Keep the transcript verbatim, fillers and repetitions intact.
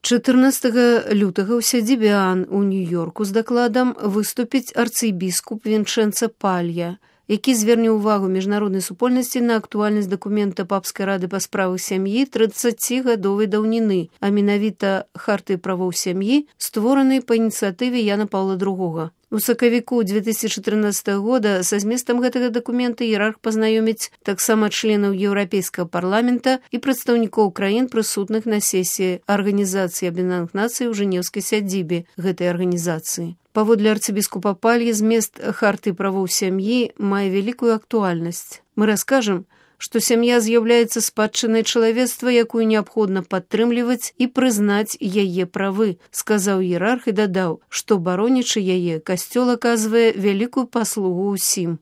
чатырнаццатага лютага ў сядзібе Ан у Нью-Йорку з дакладам выступіць арцыбіскуп Вінчэнца Палья, які зверне ўвагу міжнароднай супольнасці на актуальнасць дакумента папскай рады па справах сям'і трыццацігадовай даўніны, а менавіта харты правоў сям'і, створанай па ініцыятыве Яна Паўла другога. У сакавіку две тысячи чатырнаццатага года са зместам гэтага дакумента іерарх пазнаёміць таксама членаў Еўрапейскага парламента і прадстаўнікоў краін, прысутных на сесіі Арганізацыі Аб'яднаных Нацый у жэнеўскай сядзібе гэтай арганізацыі. Паводле арцыбіскупа Пальі, змест харты правоў сям'і мае вялікую актуальнасць. Мы раскажам, што сям'я з'яўляецца спадчынай чалавецтва, якую неабходна падтрымліваць і прызнаць яе правы, сказаў іерарх і дадаў, што баронячы яе, касцёл аказвае вялікую паслугу ўсім.